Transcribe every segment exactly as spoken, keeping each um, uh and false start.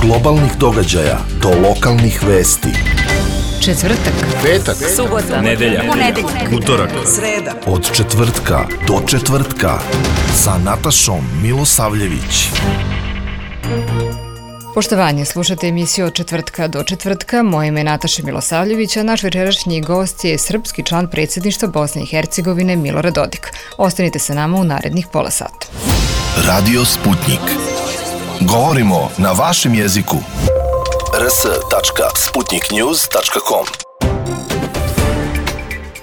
globalnih događaja do lokalnih vesti. Četvrtak, petak, subota, nedelja, ponedeljak, utorak, sreda. Od četvrtka do četvrtka sa Natašom Milosavljević. Poštovanje, slušate emisiju Od četvrtka do četvrtka. Moje ime je Nataša Milosavljević, a naš večerašnji gost je srpski član predsjedništva Bosne i Hercegovine Milorad Dodik. Ostanite sa nama u narednih pola sata. Radio Sputnik. Govorimo na vašem jeziku. r s tačka sputnik news tačka com.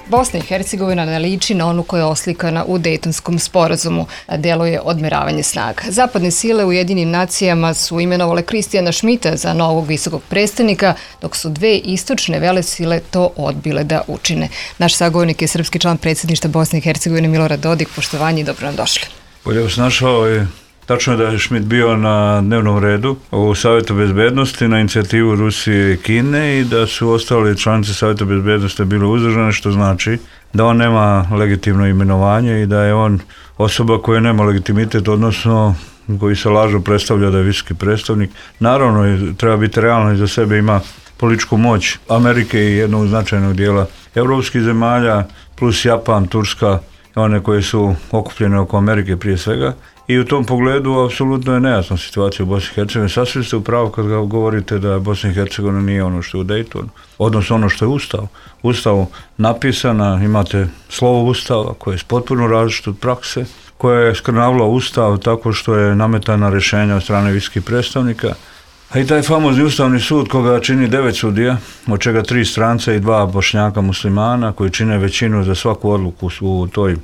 Bosna i Hercegovina ne liči na onu koja je oslikana u Dejtonskom sporazumu, a deluje odmeravanje snaga. Zapadne sile u Ujedinjenim nacijama su imenovale Kristijana Šmita za novog visokog predstavnika, dok su dve istočne velesile to odbile da učine. Naš sagovornik je srpski član predsjedništva Bosne i Hercegovine Milorad Dodik. Poštovanje i dobro nam došli. Bolje vas našao je. Tačno je da je Šmit bio na dnevnom redu u Savjetu bezbednosti na inicijativu Rusije i Kine i da su ostali članice Savjeta bezbednosti bile uzdržane, što znači da on nema legitimno imenovanje i da je on osoba koja nema legitimitet, odnosno koji se lažno predstavlja da je visoki predstavnik. Naravno, treba biti realno, iza sebe ima političku moć Amerike i jednog značajnog dijela evropskih zemalja, plus Japan, Turska, one koje su okupljene oko Amerike prije svega. I u tom pogledu apsolutno je nejasna situacija u Bosni i Hercegovini. Sasvim ste u pravu kad govorite da Bosna i Hercegovina nije ono što je u Dejtonu, odnosno ono što je Ustav. Ustav napisana, imate slovo Ustava koje je potpuno različito od prakse, koja je skrnavila Ustav tako što je nametana rješenja od strane visokih predstavnika. A i taj famozni Ustavni sud koga čini devet sudija, od čega tri stranca i dva Bošnjaka muslimana koji čine većinu za svaku odluku u toj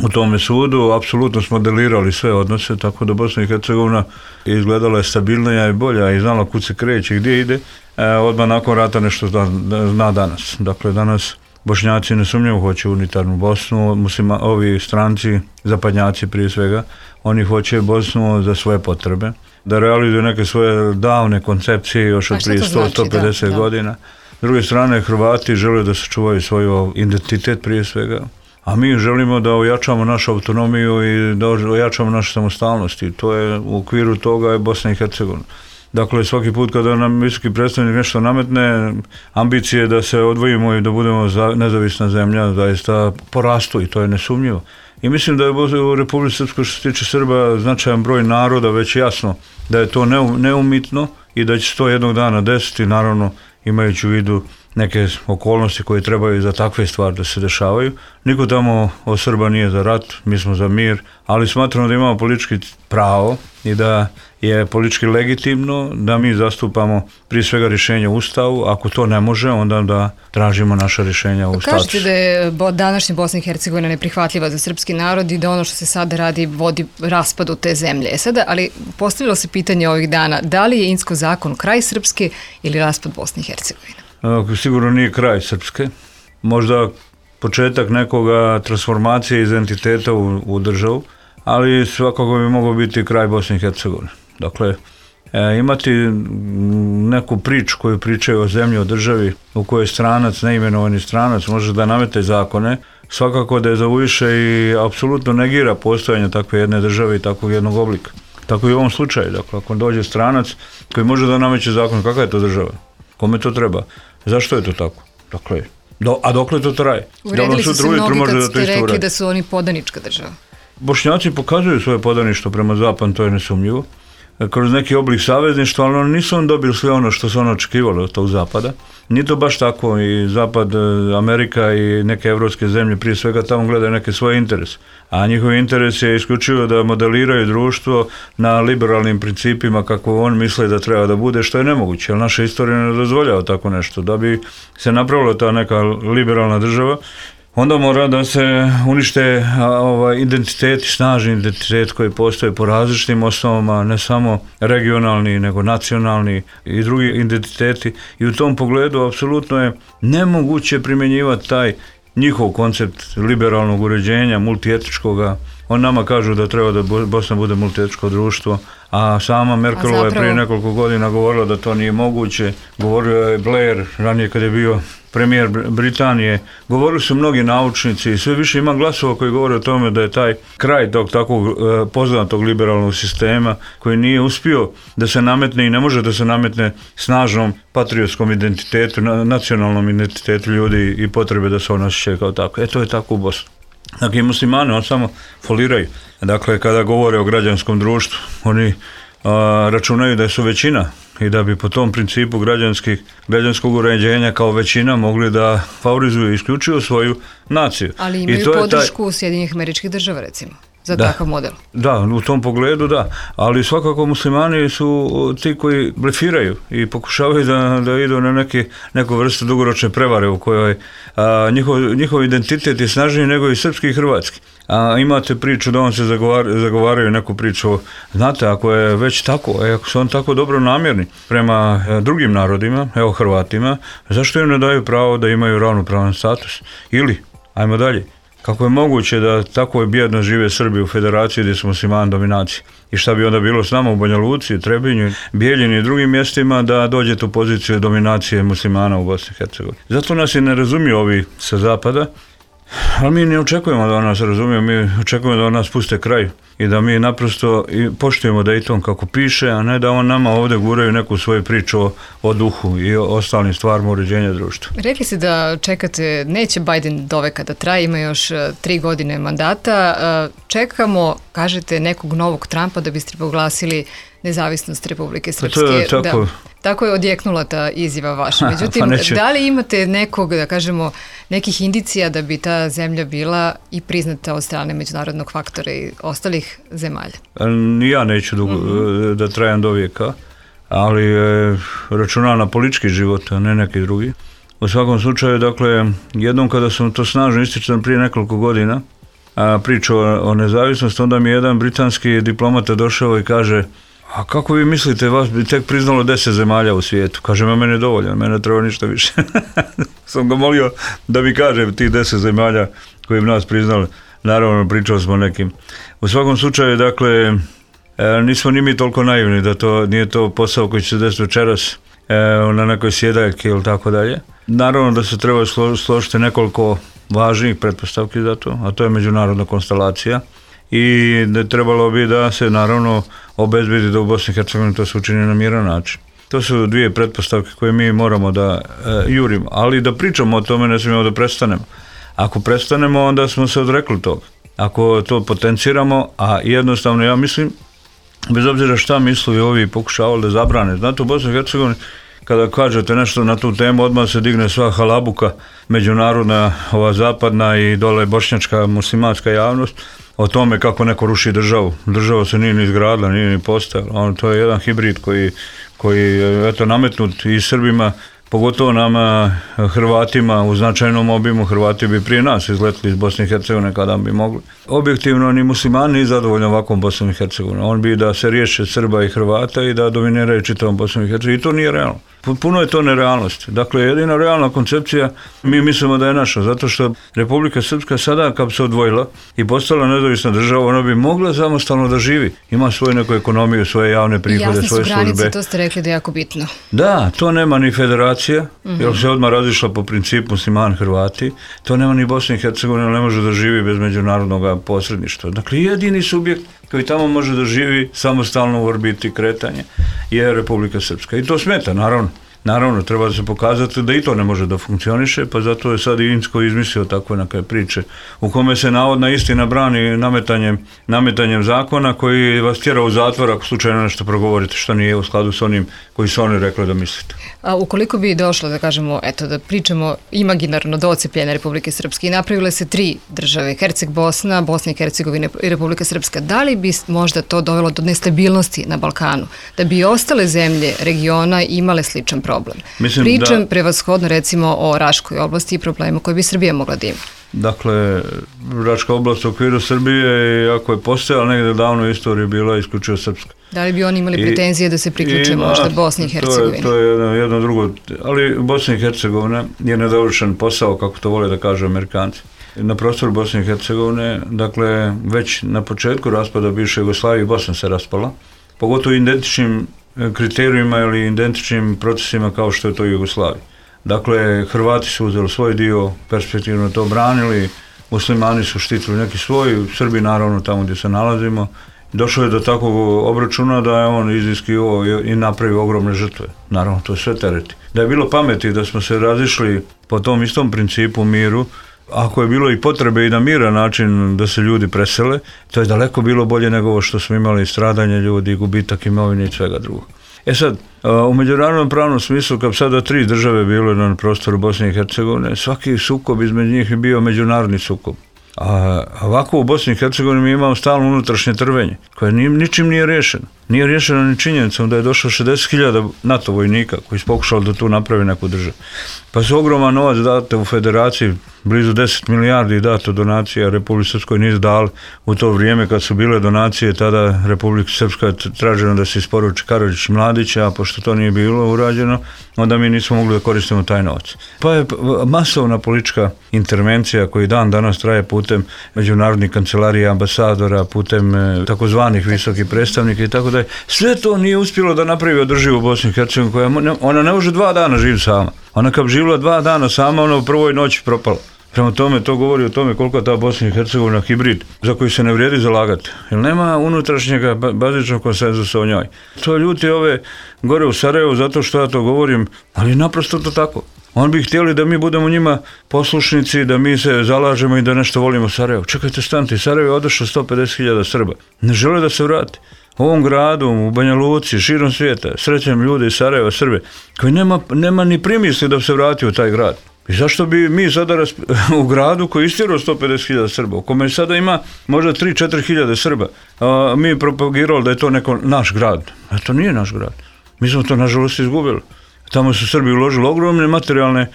U tome sudu, apsolutno smo modelirali sve odnose, tako da Bosna i Hercegovina izgledala je stabilnija i bolja i znala kud se kreće i gdje ide, e, odmah nakon rata nešto zna, zna danas. Dakle, danas Bošnjaci nesumnjivo hoće unitarnu Bosnu, muslima, ovi stranci, zapadnjaci prije svega, oni hoće Bosnu za svoje potrebe, da realizuju neke svoje davne koncepcije još od prije sto do sto pedeset da, godina. S druge strane, Hrvati žele da sačuvaju svoj identitet prije svega. A mi želimo da ojačamo našu autonomiju i da ojačamo našu samostalnost i to je u okviru toga je Bosna i Hercegovina. Dakle, svaki put kada nam visoki predstavnik nešto nametne, ambicije da se odvojimo i da budemo nezavisna zemlja zaista porastu i to je nesumnjivo. I mislim da je u Republici Srpskoj što se tiče Srba značajan broj naroda već jasno da je to neumitno i da će se to jednog dana desiti, naravno imajući u vidu neke okolnosti koje trebaju za takve stvari da se dešavaju. Niko tamo od Srba nije za rat, mi smo za mir, ali smatramo da imamo politički pravo i da je politički legitimno da mi zastupamo prije svega rješenje u Ustavu. Ako to ne može, onda da tražimo naša rješenja u statusu. Kažete da je današnja Bosna i Hercegovina neprihvatljiva za srpski narod i da ono što se sada radi vodi raspadu te zemlje. E sada, ali postavilo se pitanje ovih dana, da li je Insko zakon kraj Srpske ili raspad Bosne i Hercegovine? Sigurno nije kraj Srpske, možda početak nekoga transformacije identiteta u, u državu, ali svakako bi mogao biti kraj Bosne i Hercegovine. Dakle, e, imati neku priču koju pričaju o zemlji, o državi u kojoj stranac, neimenovani stranac može da namete zakone, svakako da je zaviše i apsolutno negira postojanje takve jedne države i takvog jednog oblika. Tako i u ovom slučaju, dakle, ako dođe stranac koji može da nameće zakon, kakva je to država? Kome to treba? Zašto je to tako? Dakle, do, a dokle to traje? Uvredili su se mnogi kad ste rekli da su oni podanička država. Bošnjaci pokazuju svoje podaništvo prema zapadu, to je nesumnjivo, kroz neki oblik savezništva, ali oni nisu on dobili sve ono što su ono očekivali od tog zapada. Nije to baš tako i zapad, Amerika i neke evropske zemlje prije svega tamo gledaju neke svoje interese. A njihov interes je isključivo da modeliraju društvo na liberalnim principima kako on misle da treba da bude, što je nemoguće, jer naša istorija ne dozvoljava tako nešto. Da bi se napravila ta neka liberalna država, onda mora da se unište ovaj, identiteti, snažni identitet koji postoje po različitim osnovama, ne samo regionalni, nego nacionalni i drugi identiteti. I u tom pogledu apsolutno je nemoguće primjenjivati taj njihov koncept liberalnog uređenja, multietičkoga, On nama kažu da treba da Bosna bude multietničko društvo, a sama Merkelova je zapravo... prije nekoliko godina govorila da to nije moguće. Govorio je Blair, ranije kad je bio premijer Britanije. Govorili su mnogi naučnici i sve više ima glasova koji govore o tome da je taj kraj tog takvog e, poznatog liberalnog sistema koji nije uspio da se nametne i ne može da se nametne snažnom patriotskom identitetu, na, nacionalnom identitetu ljudi i potrebe da se on osjećaju kao tako. E to je tako u Bosni. Dakle, muslimani on samo foliraju. Dakle, kada govore o građanskom društvu, oni a, računaju da su većina i da bi po tom principu građanskih, građanskog uređenja kao većina mogli da favorizuju isključivo svoju naciju. Ali imaju I to podršku taj... Sjedinjenih Američkih Država, recimo, za da, takav model. Da, u tom pogledu da, ali svakako muslimani su ti koji blefiraju i pokušavaju da, da idu na neki, neku vrstu dugoročne prevare u kojoj a, njihov, njihov identitet je snažniji nego i srpski i hrvatski. A imate priču da on se zagovar, zagovaraju neku priču, znate, ako je već tako, ako su on tako dobro namjerni prema drugim narodima, evo Hrvatima, zašto im ne daju pravo da imaju ravnopravan status? Ili, ajmo dalje, kako je moguće da tako bjedno žive Srbi u federaciji gdje su muslimani dominacije? I šta bi onda bilo s nama u Banja Luci, Trebinju, Bijeljini i drugim mjestima da dođete u poziciju dominacije muslimana u Bosni i Hercegovini? Zato nas i ne razumiju ovi sa zapada, ali mi ne očekujemo da nas razumiju, mi očekujemo da nas puste kraj i da mi naprosto poštujemo Dayton kako piše, a ne da on nama ovdje guraju neku svoju priču o, o duhu i o ostalim stvarima uređenja društva. Rekli ste da čekate, neće Biden do veka da traje, ima još tri godine mandata. Čekamo, kažete, nekog novog Trumpa da biste proglasili nezavisnost Republike Srpske. To je tako. Da, tako je odjeknula ta izjava vaša. Međutim, pa da li imate nekog, da kažemo, nekih indicija da bi ta zemlja bila i priznata od strane međunarodnog faktora i ostalih zemalja? Ja neću dugo, mm-hmm. da trajem do vijeka, ali e, računam na politički život, a ne neki drugi. U svakom slučaju, dakle, jednom kada sam to snažno ističan prije nekoliko godina, a, priču o, o nezavisnosti, onda mi je jedan britanski diplomata došao i kaže: a kako vi mislite, vas bi tek priznalo deset zemalja u svijetu? Kaže, me meni je dovoljno, mene treba ništa više. Sam ga molio da mi kaže ti deset zemalja koji bi nas priznali. Naravno, pričali smo nekim. U svakom slučaju, dakle, nismo ni mi toliko naivni da to nije to posao koji će se desiti večeras na nekoj sjedaljki ili tako dalje. Naravno da se treba složiti nekoliko važnih pretpostavki za to, a to je međunarodna konstelacija. I da trebalo bi da se naravno obezbedi da u Bosni i Hercegovini to se učini na miran način. To su dvije pretpostavke koje mi moramo da e, jurimo, ali da pričamo o tome ne smijemo da prestanemo. Ako prestanemo, onda smo se odrekli toga. Ako to potenciramo, a jednostavno ja mislim, bez obzira šta misli ovi pokušavali da zabrane, znate u Bosni i Hercegovini kada kažete nešto na tu temu, odmah se digne sva halabuka, međunarodna, ova zapadna i dole bošnjačka muslimanska javnost, o tome kako neko ruši državu. Država se nije ni izgradila, nije ni postojala. On, to je jedan hibrid koji, koji je eto, nametnut i Srbima, pogotovo nama Hrvatima u značajnom obimu. Hrvati bi prije nas izletili iz Bosne i Hercegovine kada bi mogli. Objektivno ni muslimani nije zadovoljni ovakvom Bosnom i Hercegovinom. On bi da se riješe Srba i Hrvata i da dominiraju čitavom Bosnom i Hercegovinom. I to nije realno. Puno je to nerealnosti. Dakle, jedina realna koncepcija mi mislimo da je naša, zato što Republika Srpska sada kad bi se odvojila i postala nezavisna država, ona bi mogla samostalno da živi. Ima svoju neku ekonomiju, svoje javne prihode, svoje službe. Jasne su granice, to ste rekli da je jako bitno. Da, to nema ni federacija, mm-hmm. jer se odmah razišla po principu musliman Hrvati. To nema ni Bosna i Hercegovina, ne može da živi bez međunarodnog posredništva. Dakle, jedini subjekt koji tamo može da živi samostalno u orbiti kretanje je Republika Srpska. I to smeta, naravno. Naravno, treba da se pokazati da i to ne može da funkcioniše, pa zato je sad i Insko izmislio takve neke priče u kome se navodna istina brani nametanjem, nametanjem zakona koji vas tjera u zatvor ako slučajno nešto progovorite što nije u skladu s onim koji su oni rekli da mislite. A ukoliko bi došlo, da kažemo, eto, da pričamo imaginarno do odcepljenja Republike Srpske i napravile se tri države, Herceg Bosna, Bosna i Hercegovina i Republika Srpska, da li bi možda to dovelo do nestabilnosti na Balkanu, da bi ostale zemlje regiona imale sličan problem? Mislim, Pričam da... prevashodno recimo o Raškoj oblasti i problemu koje bi Srbija mogla da ima. Dakle, Raška oblast u okviru Srbije, ako je postojala negdje davno u istoriji, bila isključivo srpska. Da li bi oni imali pretenzije da se priključe možda Bosni i Hercegovini? To je, to je jedno, jedno drugo, ali Bosna i Hercegovina je nedovršen posao, kako to vole da kažu Amerikanci. na prostoru Bosne i Hercegovine, dakle već na početku raspada bivše Jugoslavije Bosna se raspala, pogotovo identičnim kriterijima ili identičnim procesima kao što je to Jugoslavija. Dakle, Hrvati su uzeli svoj dio, perspektivno to branili, muslimani su štitili neki svoj, Srbi naravno tamo gdje se nalazimo. Došlo je do takvog obračuna da je on iziskivao i napravio ogromne žrtve. Naravno, to je sve tereti. Da je bilo pameti da smo se razišli po tom istom principu miru, ako je bilo i potrebe i na miran način da se ljudi presele, to je daleko bilo bolje nego ovo što smo imali stradanje ljudi, gubitak imovine i svega drugog. E sad, u međunarodnom pravnom smislu, kad sada tri države bile na prostoru Bosne i Hercegovine, svaki sukob između njih je bio međunarodni sukob. A ovako u Bosni i Hercegovini mi imamo stalno unutrašnje trvenje, koje ničim nije riješeno. Nije riješeno ni činjenicom da je došlo šezdeset hiljada NATO vojnika koji su pokušali da tu napravi neku državu. Pa su ogroman novac date u federaciji, blizu deset milijardi dato donacija Republike Srpskoj nisu dali u to vrijeme kad su bile donacije, tada Republika Srpska je traženo da se isporuči Karadžić Mladića, a pošto to nije bilo urađeno, onda mi nismo mogli da koristimo taj novac. Pa je masovna politička intervencija koji dan danas traje putem međunarodnih kancelarija, ambasadora, putem takozvanih visokih predstavnika i tako da. Sve to nije uspjelo da napravi održivu Bosnu i Hercegovinu, koja ona ne može dva dana živjeti sama. Ona kad bi živjela dva dana sama, ona u prvoj noći propala. Prema tome, to govori o tome koliko je ta Bosna i Hercegovina hibrid za koji se ne vrijedi zalagati. Jer nema unutrašnjega bazičnog konsenzusa o njoj. To ljuti ove gore u Sarajevu zato što ja to govorim, ali naprosto to tako. Oni bi htjeli da mi budemo njima poslušnici, da mi se zalažemo i da nešto volimo Sarajevo. Čekajte, stanite, Sarajevo je odošlo sto pedeset hiljada Srba. Ne žele da se vrati. U ovom gradu, u Banja Luci, širom svijeta, srećem ljude iz Sarajeva, Srbe, koji nema, nema ni primisli da se vrati u taj grad. I zašto bi mi sada rasp... u gradu koji istjerao sto pedeset hiljada Srba, u kome sada ima možda tri do četiri hiljade Srba, a mi propagirali da je to neko naš grad. A to nije naš grad. Mi smo to nažalost izgubili. Tamo su Srbi uložili ogromne materijalne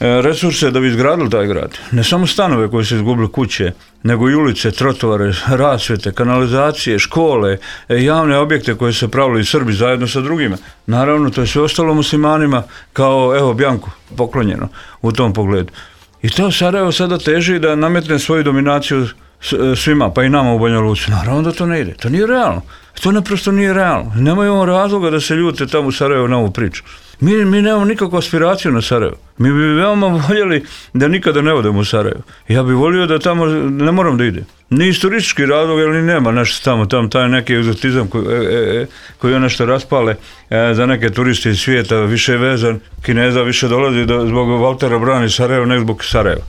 resurse da bi izgradili taj grad. Ne samo stanove koje su izgubili, kuće, nego i ulice, trotovare, rasvjete, kanalizacije, škole, javne objekte koje se pravili Srbi zajedno sa drugima. Naravno, to je sve ostalo muslimanima kao, evo, Bjanku, poklonjeno u tom pogledu. I to Sarajevo sada teži da nametne svoju dominaciju svima, pa i nama u Banja Luci. Naravno da to ne ide. To nije realno. To naprosto nije realno. Nemaju razloga da se ljute tamo u Sarajevo na ovu priču. Mi, mi nemamo nikakvu aspiraciju na Sarajevo. Mi bi veoma voljeli da nikada ne odemo u Sarajevo. Ja bih volio da tamo ne moram da ide. Ni iz turistički razlog, ali nema nešto tamo, tamo taj neki egzotizam koji, e, e, koji je nešto raspale e, za neke turiste iz svijeta, više je vezan, Kineza više dolazi do, zbog Valtera brani Sarajevo, nego zbog Sarajeva.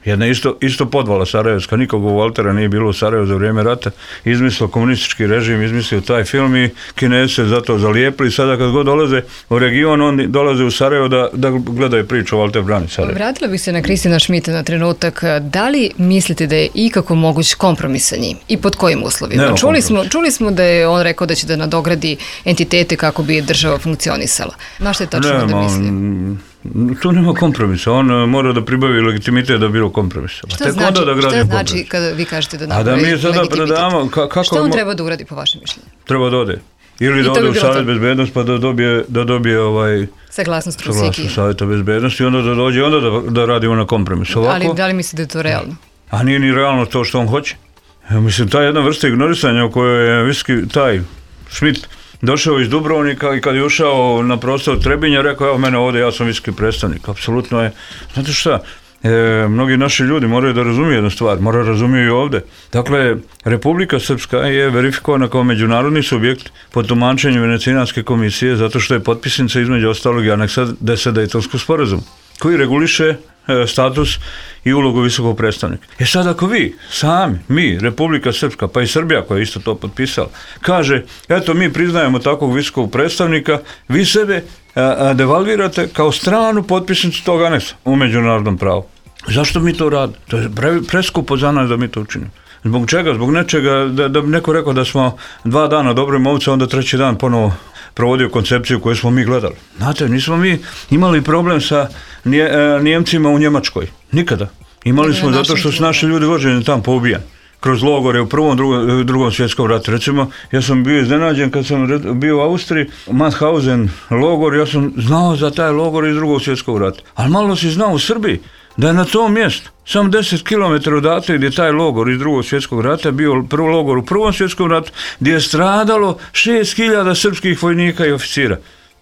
Jedna isto, isto podvala sarajevska, nikog u Valtera nije bilo u Sarajevu za vrijeme rata, izmislio komunistički režim, izmislio taj film i Kinezi se zato zalijepili. Sada kad god dolaze u region, oni dolaze u Sarajevo da, da gledaju priču o Valter brani Sarajevo. Vratila bih se na Kristina Šmita na trenutak. Da li mislite da je ikako moguć kompromis sa njim i pod kojim uslovima? Čuli smo, čuli smo da je on rekao da će da nadogradi entitete kako bi država funkcionisala. Na što je tačno Nema, da mislim? Tu nema kompromisa, on mora da pribavi legitimitet da bilo kompromisa. Šta znači, da šta znači kada vi kažete da napravi legitimitet? A da mi sada predamo, ka, kako šta on treba da uradi po vašem mišljenju? Treba da ode. Ili da ode u Savjet bezbednosti pa da dobije, da dobije ovaj, saglasnost Rusiki. Savjeta bezbednosti i onda da dođe, onda da, da radimo na kompromisu. Ovako, ali da li mislite da je to realno? A nije ni realno to što on hoće. Ja mislim, ta jedna vrsta ignorisanja u kojoj je viski, taj Šmit došao iz Dubrovnika i kad je ušao na prostor Trebinja, rekao, evo mene ovdje, ja sam visoki predstavnik. Apsolutno je, znate šta, e, mnogi naši ljudi moraju da razumiju jednu stvar, moraju razumiju i ovdje. Dakle, Republika Srpska je verifikovana kao međunarodni subjekt po tumačenju Venecijanske komisije zato što je potpisnica između ostalog i aneksa deset Dejtonskog sporazuma koji reguliše status i ulogu visokog predstavnika. E sad ako vi, sami, mi, Republika Srpska, pa i Srbija koja je isto to potpisala, kaže, eto mi priznajemo takvog visokog predstavnika, vi sebe a, a, devalvirate kao stranu potpisnicu tog aneksa u međunarodnom pravu. Zašto mi to radimo? To je pre, preskupo za nas da mi to učinimo. Zbog čega? Zbog nečega, da, da bi neko rekao da smo dva dana dobri momci, onda treći dan ponovo provodio koncepciju koju smo mi gledali. Znate, nismo mi imali problem sa nje, Nijemcima u Njemačkoj. Nikada. Imali smo zato što su naši ljudi vođeni tamo poubijani. Kroz logore u prvom, drugom, drugom svjetskom ratu. Recimo, ja sam bio iznenađen kad sam bio u Austriji, Mauthausen logor, ja sam znao za taj logor iz drugog svjetskog rata. Ali malo si znao u Srbiji da je na tom mjestu, samo deset kilometara odatle gdje je taj logor iz drugog svjetskog rata bio prvi logor u prvom svjetskom ratu, gdje je stradalo šest hiljada srpskih vojnika i oficira.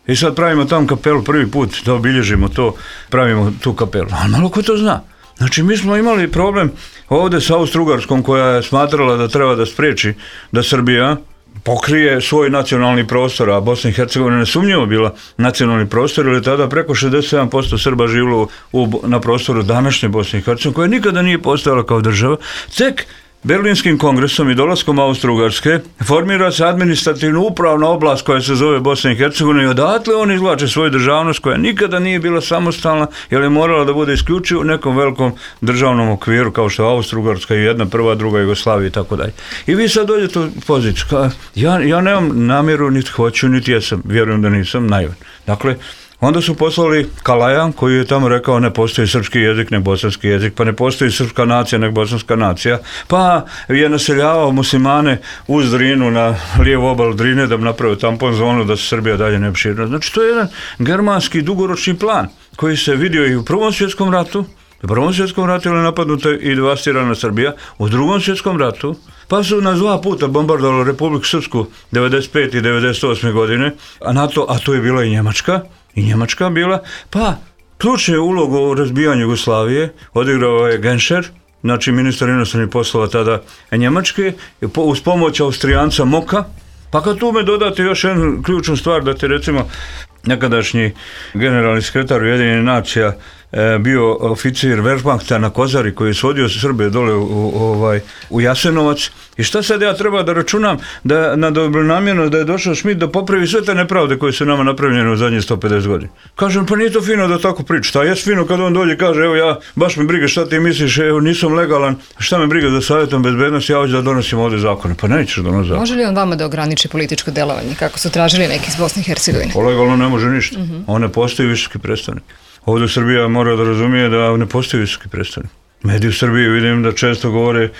I sad pravimo tam kapelu prvi put, da obilježimo to, pravimo tu kapelu. Ali malo ko to zna. Znači, mi smo imali problem ovdje s Austro-Ugarskom, koja je smatrala da treba da spriječi da Srbija pokrije svoj nacionalni prostor, a Bosna i Hercegovina nesumnjivo bila nacionalni prostor, jer je tada preko šezdeset sedam posto Srba živjelo u, na prostoru današnje Bosne i Hercegovine, koja nikada nije postojala kao država. Tek Berlinskim kongresom i dolaskom Austro-Ugarske formira se administrativno upravna oblast koja se zove Bosna i Hercegovina i odatle oni izvlače svoju državnost koja nikada nije bila samostalna, jer je morala da bude isključivo u nekom velikom državnom okviru kao što je Austro-Ugarska i jedna, prva, druga Jugoslavija i tako dalje. I vi sad dođete u poziciju. Ja, ja nemam namjeru, niti hoću, niti jesam, vjerujem da nisam naivan. Dakle, onda su poslali Kalaja koji je tamo rekao ne postoji srpski jezik, ne bosanski jezik, pa ne postoji srpska nacija, ne bosanska nacija, pa je naseljavao muslimane uz Drinu na lijevu obalu Drine da bi napravio tampon zonu da se Srbija dalje ne širila. Znači to je jedan germanski dugoročni plan koji se vidio i u Prvom svjetskom ratu. U Prvom svjetskom ratu je napadnuta i devastirana Srbija, u Drugom svjetskom ratu, pa su nas dva puta bombardovali Republiku Srpsku devedeset pete i devedeset osme godine, a NATO, a to je bila i Njemačka, i Njemačka bila, pa ključnu ulogu u razbijanju Jugoslavije odigrao je Genscher, znači ministar inostranih poslova tada Njemačke, uz pomoć Austrijanca Moka. Pa kad tu me dodate još jednu ključnu stvar, da te recimo nekadašnji generalni sekretar Ujedinjenih nacija e, bio oficir Wehrmachta na Kozari koji je svodio Srbe dole u, u, ovaj, u Jasenovac. I šta sad ja treba da računam da, na dobronamjerno da je došao Schmidt da popravi sve te nepravde koje su nama napravljene u zadnjih sto pedeset godina. Kažem, pa nije to fino da tako priča. Šta je fino kad on dođe i kaže, evo ja, baš me briga šta ti misliš, evo nisam legalan, šta me briga za savjetom bezbednosti, ja hoću da donosim ovdje zakone. Pa nećeš donositi zakone. Može li on vama da ograniči političko delovanje, kako su tražili neki iz Bosne i Hercegovine? O, legalno ne može ništa. Mm-hmm. On ne postoji visoki predstavnik. Ovdje Srbija mora da razumije da ne postoji visoki predstavnik. Mediji u Srbiji vidim da često govore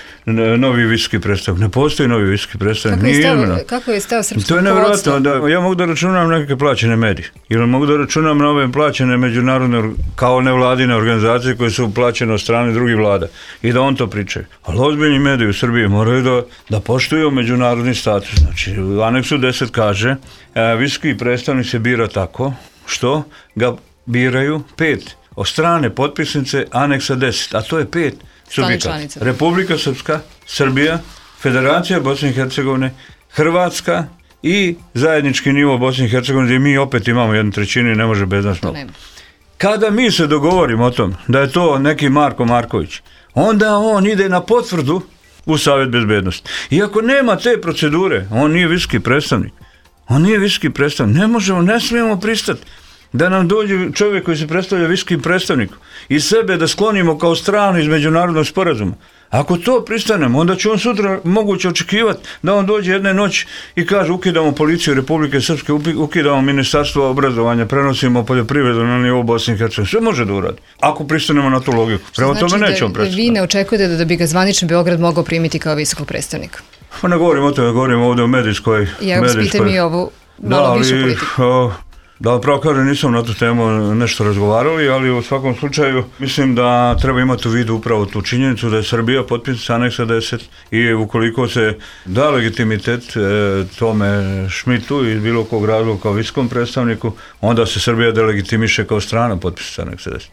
novi visoki predstavnik. Ne postoji novi visoki predstavnik. Kako je stav, kako je stav srpskog to je nevjerojatno. Da, ja mogu da računam neke plaćene medije. Ili mogu da računam na ove plaćene međunarodne, kao nevladine organizacije koje su plaćene od strane drugih vlada. I da on to pričaju. Ali ozbiljni mediji u Srbiji moraju da, da poštuju međunarodni status. Znači, u aneksu deset kaže, e, visoki predstavnik se bira tako što ga biraju pet od strane potpisnice aneksa deset, a to je pet subjekata. Republika Srpska, Srbija, Federacija Bosne i Hercegovine, Hrvatska i zajednički nivo Bosne i Hercegovine, gdje mi opet imamo jednu trećinu i ne može bez nas mnogo. Kada mi se dogovorimo o tom da je to neki Marko Marković, onda on ide na potvrdu u Savjet bezbednosti. Iako nema te procedure, on nije visoki predstavnik. On nije visoki predstavnik. Ne možemo, ne smijemo pristati da nam dođe čovjek koji se predstavlja visokim predstavnikom i sebe da sklonimo kao stranu iz međunarodnog sporazuma. Ako to pristanemo, onda će on sutra moguće očekivati da on dođe jedne noći i kaže ukidamo policiju Republike Srpske, ukidamo ministarstvo obrazovanja, prenosimo poljoprivredu na nivou Bosne i Hercegovine. Sve može da uradi, ako pristanemo na tu logiku. Prema znači tome nećemo prestati. Vi ne očekujete da, da bi ga zvanični Beograd mogao primiti kao visokog predstavnika? Pa ne govorim o tome, govorim ovdje o medijskoj. Ja vas pitam i ovu malo da, višu politiku. O, Da, pravo kažem, nisam na tu temu nešto razgovarali, ali u svakom slučaju mislim da treba imati u vidu upravo tu činjenicu da je Srbija potpisnica aneksa deset i ukoliko se da legitimitet e, tome Schmidtu iz bilo kog razloga kao visokom predstavniku, onda se Srbija delegitimiše kao strana potpisnica aneksa deset.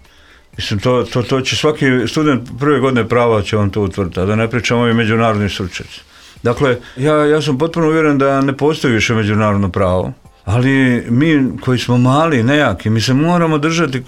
Mislim, to, to, to će svaki student prve godine prava će on to utvrditi, a da ne pričamo ovi međunarodni stručnjaci. Dakle, ja, ja sam potpuno uvjeren da ne postoji više međunarodno pravo. Ali mi koji smo mali, nejaki, mi se moramo držati,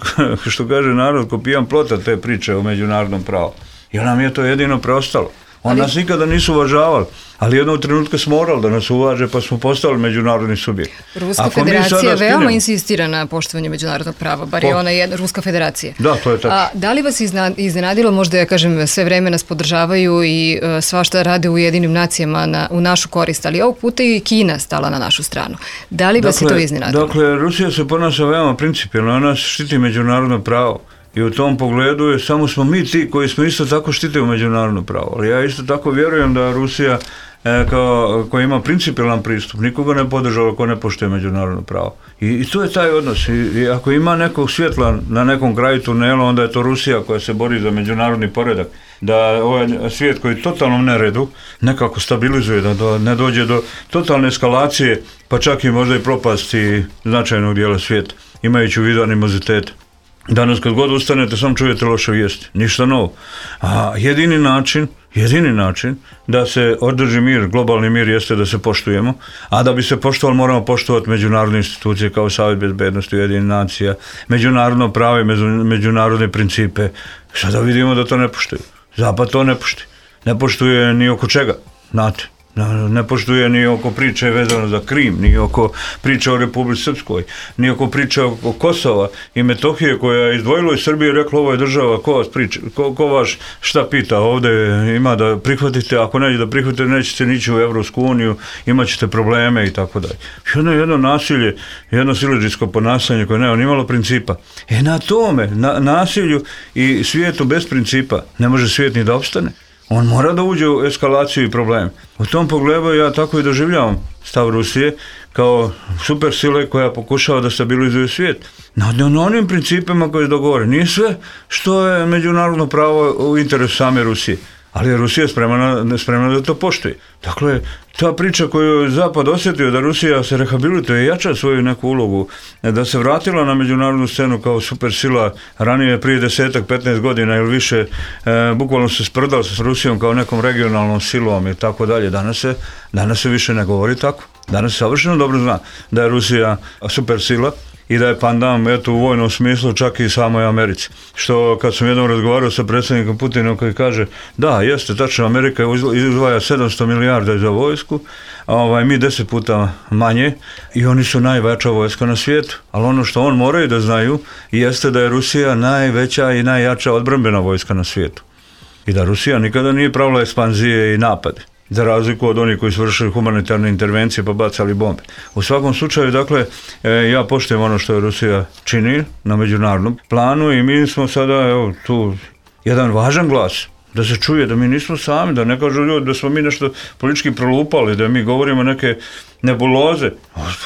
što kaže narod, ko pijan plota te priče o međunarodnom pravu. Jer nam je to jedino preostalo. On ali nas nikada nisu uvažavali, ali jednog trenutka smo morali da nas uvaže, pa smo postali međunarodni subjekt. Ruska Ako federacija veoma skinemo, insistira na poštovanju međunarodnog prava, bar po, je ona jedna Ruska federacija. Da, to je tako. A da li vas iznenadilo, možda ja kažem, sve vreme nas podržavaju i uh, svašta rade u Ujedinim nacijama na, u našu korist, ali ovog puta i Kina stala na našu stranu. Da li dakle, vas je to iznenadilo? Dakle, Rusija se ponaša veoma principijelno, ona štiti međunarodno pravo. I u tom pogledu je, samo smo mi ti koji smo isto tako štitili međunarodno pravo. Ali ja isto tako vjerujem da Rusija e, kao, koji ima principijelan pristup, nikoga ne podržava ko ne poštuje međunarodno pravo. I, i to je taj odnos. I, I ako ima nekog svjetla na nekom kraju tunela, onda je to Rusija koja se bori za međunarodni poredak. Da ovaj svijet koji je totalnom neredu nekako stabilizuje, da do, ne dođe do totalne eskalacije, pa čak i možda i propasti značajnog dijela svijeta, imajući u vidu animozitet. Danas kad god ustanete, sam čujete loše vijesti, ništa novo. A jedini način, jedini način da se održi mir, globalni mir, jeste da se poštujemo, a da bi se poštovali moramo poštovati međunarodne institucije kao Savjet bezbednosti Ujedinjenih nacija, međunarodno pravo i međunarodne principe. Sada vidimo da to ne poštuju. Zapad to ne poštuje. Ne poštuje ni oko čega, znate. Ne poštuje ni oko priče vezano za Krim, ni oko priče o Republici Srpskoj, ni oko priče o Kosova i Metohije koja je izdvojila iz Srbije i rekla ovo je država, ko vas priča, ko, ko vaš šta pita, ovdje ima da prihvatite, ako neće da prihvatite, nećete nići u Evropsku uniju, imat ćete probleme i tako dalje. Jedno, jedno nasilje, jedno siledžijsko ponašanje koje nema nimalo principa. E na tome, na nasilju i svijetu bez principa ne može svijet ni da opstane. On mora da uđe u eskalaciju i problem. U tom pogledu ja tako i doživljavam stav Rusije kao super sile koja pokušava da stabilizuje svijet. Na, na onim principima koji je dogovore. Nije sve što je međunarodno pravo u interesu same Rusije. Ali je Rusija spremna, spremna da to poštuje. Dakle, ta priča koju je Zapad osjetio da Rusija se rehabilituje i jača svoju neku ulogu, da se vratila na međunarodnu scenu kao supersila ranije prije desetak, petnaest godina ili više, e, bukvalno se sprdala s Rusijom kao nekom regionalnom silom i tako dalje. Danas se, danas se više ne govori tako. Danas se savršeno dobro zna da je Rusija supersila i da je pandan, eto, u vojnom smislu čak i samoj Americi. Što kad sam jednom razgovarao sa predsjednikom Putinom koji kaže, da, jeste, tačno, Amerika izdvaja sedamsto milijarda za vojsku, a ovaj, mi deset puta manje i oni su najveća vojska na svijetu. Ali ono što on moraju da znaju jeste da je Rusija najveća i najjača odbrambena vojska na svijetu. I da Rusija nikada nije pravila ekspanzije i napade, za razliku od onih koji su vršili humanitarne intervencije pa bacali bombe. U svakom slučaju, dakle, ja poštujem ono što je Rusija čini na međunarodnom planu i mi smo sada, evo, tu jedan važan glas, da se čuje da mi nismo sami, da ne kažu ljudi da smo mi nešto politički prolupali, da mi govorimo neke nebuloze.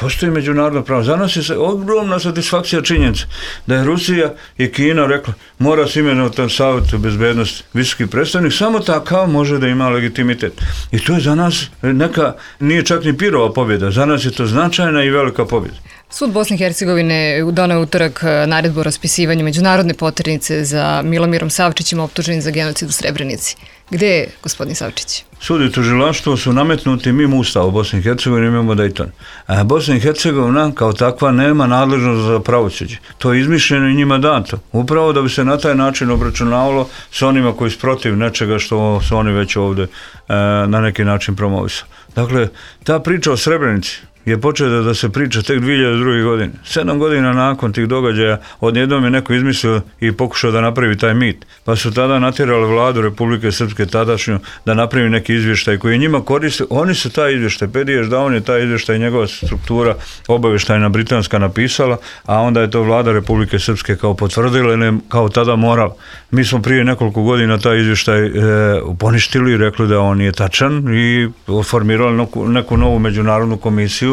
Postoji međunarodno pravo. Za nas je ogromna satisfakcija činjenica da je Rusija i Kina rekla mora se imenovati Savjet bezbednosti visoki predstavnik, samo takav može da ima legitimitet. I to je za nas neka, nije čak ni pirova pobjeda, za nas je to značajna i velika pobjeda. Sud Bosne i Hercegovine doneo utorak naredbu o raspisivanju međunarodne poternice za Milomirom Savčićem optuženim za genocid u Srebrenici. Gde je gospodin Savčić? Sud i tužilaštvo su nametnuti mimo Ustava u Bosni i Hercegovini, imamo Dayton. A Bosna i Hercegovina kao takva nema nadležnost za pravosuđe. To je izmišljeno i njima dato. Upravo da bi se na taj način obračunavalo sa onima koji su protiv nečega što su oni već ovdje e, na neki način promovisali. Dakle, ta priča o Srebrenici je počela da se priča tek dvije hiljade druge. godine. Sedam godina nakon tih događaja odjednom je neko izmislio i pokušao da napravi taj mit. Pa su tada natjerali vladu Republike Srpske tadašnju da napravi neki izvještaj koji je njima koristio. Oni su taj izvještaj, Pediješ da on je taj izvještaj, njegova struktura obavještajna britanska napisala, a onda je to vlada Republike Srpske kao potvrdila ili kao tada morala. Mi smo prije nekoliko godina taj izvještaj e, poništili i rekli da on nije tačan i formirali neku, neku novu međunarodnu komisiju.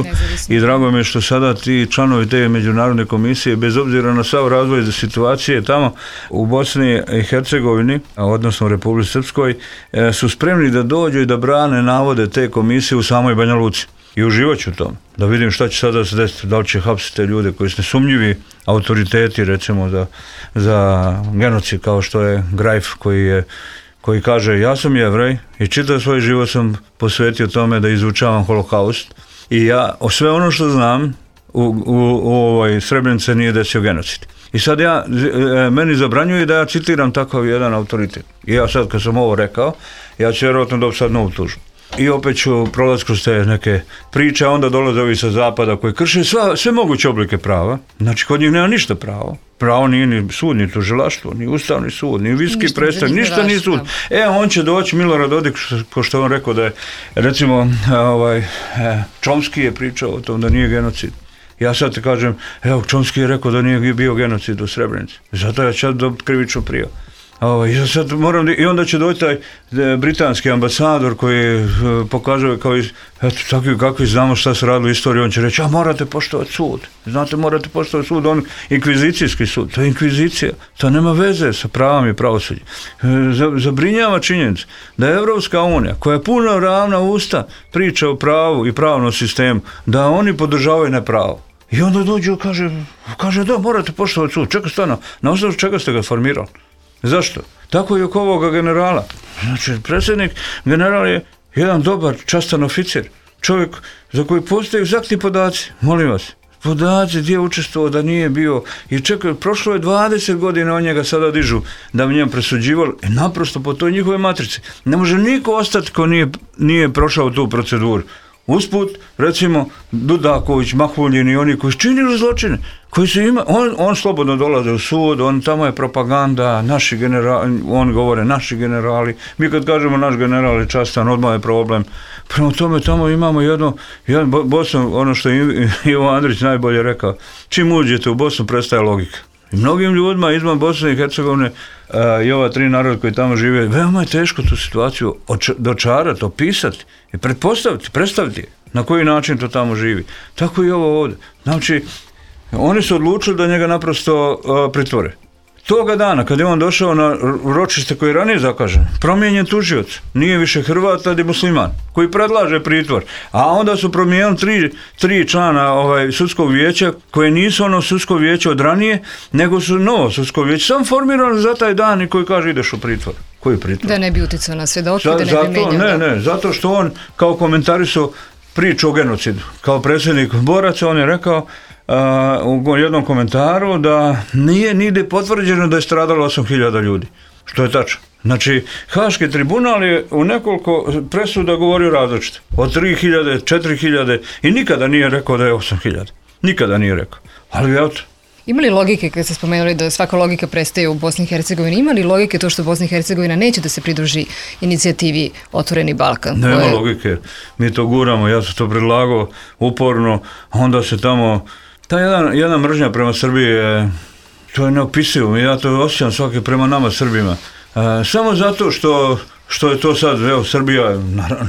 I drago mi je što sada ti članovi te međunarodne komisije, bez obzira na sav razvoj situacije tamo u Bosni i Hercegovini, odnosno u Republici Srpskoj, su spremni da dođu i da brane navode te komisije u samoj Banja Luci. I uživat ću to, da vidim šta će sada se desiti, da li će hapsiti te ljude koji su nesumnjivi autoriteti, recimo za, za genocid, kao što je Grajf, koji je koji kaže ja sam Jevrej i čitav svoj život sam posvetio tome da izučavam holokaust. I ja, o sve ono što znam, u, u, u ovoj Srebrenici nije desio genocid. I sad ja, meni zabranjuje da ja citiram takav jedan autoritet. I ja sad kad sam ovo rekao, ja ću vjerojatno dobiti sad novu tužbu. I opet ću prolaz kroz te neke priče, a onda dolaze ovi sa zapada koji krše sva, sve moguće oblike prava. Znači, kod njih nema ništa pravo. Pravo nije ni sud, ni tužilaštvo, ni ustavni sud, ni viski predstavnik, ništa ni sud. E, on će doći, Milorad Dodik, ko što on rekao da je, recimo, ovaj, Čomski je pričao o tom da nije genocid. Ja sad te kažem, evo, Čomski je rekao da nije bio genocid u Srebrenici. Zato ja ću dobiti krivičnu prijavu. Ovo, i, sad moram, I onda će doći taj britanski ambasador koji pokazuje kao iz, eto, takvi kakvi znamo šta se radilo u istoriji, on će reći, a morate poštovati sud. Znate, morate poštovati sud, on inkvizicijski sud, to je inkvizicija, to nema veze sa pravom i pravosuđem. Zabrinjava činjenica da je Evropska unija, koja je puno ravna usta priča o pravu i pravnom sistemu, da oni podržavaju nepravo. I onda dođu i kaže, kaže da, morate poštovati sud. Čekaj, stano, na osnovu čega ste ga formirali? Zašto? Tako i oko ovoga generala. Znači, predsjednik, general je jedan dobar, častan oficir. Čovjek za koji postoje egzaktni podaci. Molim vas, podaci gdje je učestvovao, da nije bio. I čekaj, prošlo je dvadeset godina, on njega sada dižu da bi njem presuđivali. E, naprosto po toj njihove matrici. Ne može niko ostati ko nije, nije prošao tu proceduru. Usput, recimo, Dudaković, Mahuljin i oni koji su činili zločine, koji su ima, on, on slobodno dolaze u sud, on tamo je propaganda, naši generali, on govore naši generali, mi kad kažemo naš general je častan, odmah je problem. Prema tome, tamo imamo jedno, jedan Bosnu, ono što je Ivo Andrić najbolje rekao, čim uđete u Bosnu prestaje logika. I mnogim ljudima izvan Bosne i Hercegovine a, i ova tri naroda koji tamo žive, veoma je teško tu situaciju oč- dočarati, opisati i pretpostaviti, predstaviti na koji način to tamo živi. Tako i ovo ovdje. Znači, oni su odlučili da njega naprosto a, pritvore. Toga dana, kad je on došao na ročište koji je ranije zakažen, promijenjen tužioc, nije više Hrvat, tad je musliman, koji predlaže pritvor. A onda su promijenili tri, tri člana ovaj, sudskog vijeća, koje nisu ono sudsko vijeće od ranije, nego su novo sudsko vijeće, sam formirano za taj dan i koji kaže ideš u pritvor. Koji pritvor? Da ne bi uticao na svjedoke, da ne zato, bi menjao. Ne, ne, zato što on kao komentarisao priču o genocidu. Kao predsjednik boraca on je rekao Uh, u jednom komentaru da nije nigdje potvrđeno da je stradalo osam hiljada ljudi, što je tačno. Znači, Haški tribunal je u nekoliko presuda govorio različito, od tri hiljade, četiri hiljade i nikada nije rekao da je osam hiljada. Nikada nije rekao. Ali eto. Ima li logike, kad ste spomenuli da svaka logika prestaje u Bosni i Hercegovini, ima li logike to što Bosna i Hercegovina neće da se pridruži inicijativi Otvoreni Balkan? Nema koje... logike. Mi to guramo, ja sam to predlagao uporno, onda se tamo ta jedna, jedna mržnja prema Srbiji je, to je neopisivo, ja to osjećam svaki prema nama Srbima. E, samo zato što, što je to sad, evo, Srbija,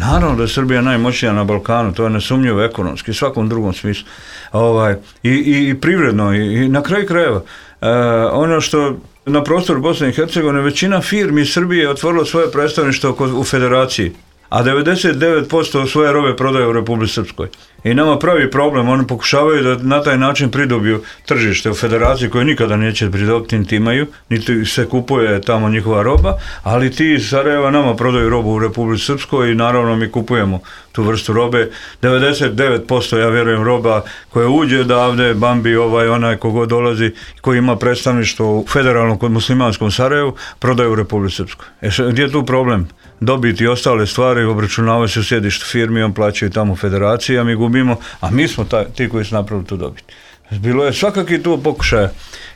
naravno da je Srbija najmoćnija na Balkanu, to je nesumnjivo ekonomski, svakom drugom smislu. Ovaj, i, i, i privredno, i, i na kraju krajeva. E, ono što na prostoru Bosne i Hercegovine, većina firmi iz Srbije je otvorila svoje predstavništvo u federaciji, a devedeset devet posto svoje robe prodaje u Republici Srpskoj. I nama pravi problem, oni pokušavaju da na taj način pridobiju tržište u federaciji koje nikada neće pridobiti, niti imaju, niti se kupuje tamo njihova roba, ali ti iz Sarajeva nama prodaju robu u Republici Srpskoj i naravno mi kupujemo tu vrstu robe. devedeset devet posto ja vjerujem roba koja uđe odavde, Bambi, ovaj, onaj kogo dolazi, koji ima predstavništvo u federalnom kod muslimanskom Sarajevu, prodaju u Republici Srpskoj. E, gdje je tu problem? Dobiti i ostale stvari, obračunavaju se u sjedištu firmi, on plaćaju tamo federaciji, a mi gubimo, a mi smo ta, ti koji su napravili tu dobiti. Bilo je svakaki tu pokušaja.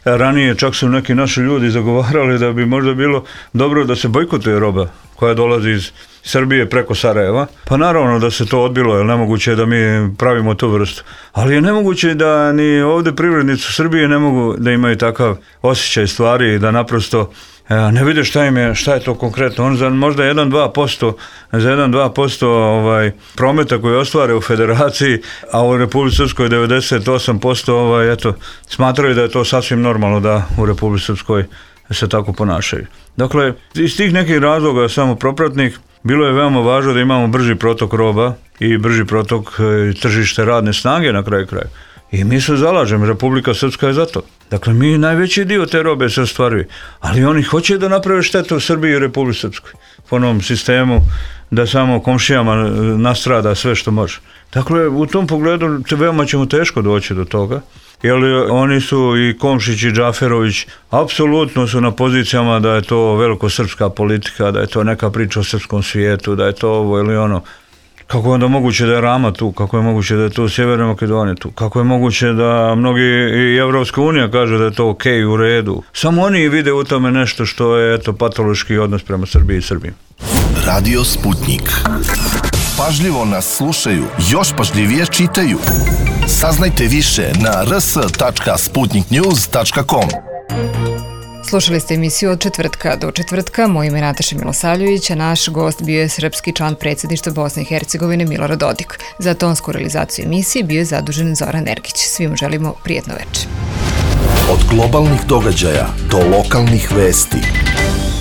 Ranije čak su neki naši ljudi zagovarali da bi možda bilo dobro da se bojkotuje roba koja dolazi iz Srbije preko Sarajeva. Pa naravno da se to odbilo, jer nemoguće je da mi pravimo tu vrstu. Ali je nemoguće da ni ovdje privrednici u Srbije ne mogu da imaju takav osjećaj stvari, da naprosto ne vide šta im je, šta je to konkretno. On za možda jedan do dva posto za jedan do dva posto ovaj, prometa koji ostvare u federaciji, a u Republici Srpskoj devedeset osam posto ovaj, eto, smatraju da je to sasvim normalno da u Republici Srpskoj se tako ponašaju. Dakle, iz tih nekih razloga samo propratnih, bilo je veoma važno da imamo brži protok roba i brži protok e, tržište radne snage na kraju kraja. I mi se zalažemo, Republika Srpska je za to. Dakle, mi najveći dio te robe se ostvaruje, ali oni hoće da naprave štetu u Srbiji i Republici Srpskoj. Po novom sistemu da samo komšijama nastrada sve što može. Dakle, u tom pogledu veoma ćemo teško doći do toga, jer oni su i Komšić i Džaferović apsolutno su na pozicijama da je to velikosrpska politika, da je to neka priča o srpskom svijetu, da je to ovo ili ono. Kako je onda moguće da je Rama tu, kako je moguće da je to Sjeverna Makedonija tu, kako je moguće da mnogi i Evropska unija kaže da je to ok, u redu. Samo oni vide u tome nešto što je eto patološki odnos prema Srbiji i Srbiji. Radio Sputnik. Pažljivo nas slušaju, još pažljivije čitaju. Saznajte više na r s tačka sputnik news tačka com. Slušali ste emisiju od četvrtka do četvrtka. Moje ime je Nataša Milosavljević, a naš gost bio je srpski član predsjedništva Bosne i Hercegovine Milorad Dodik. Za tonsku realizaciju emisije bio je zadužen Zoran Ergić. Svima želimo prijatno večer. Od globalnih događaja do lokalnih vesti.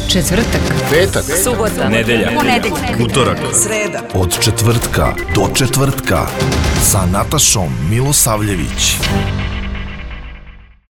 Četvrtak, Petak, subota, nedelja, ponedeljak, utorak, sreda. od četvrtka do četvrtka sa Natašom Milosavljević.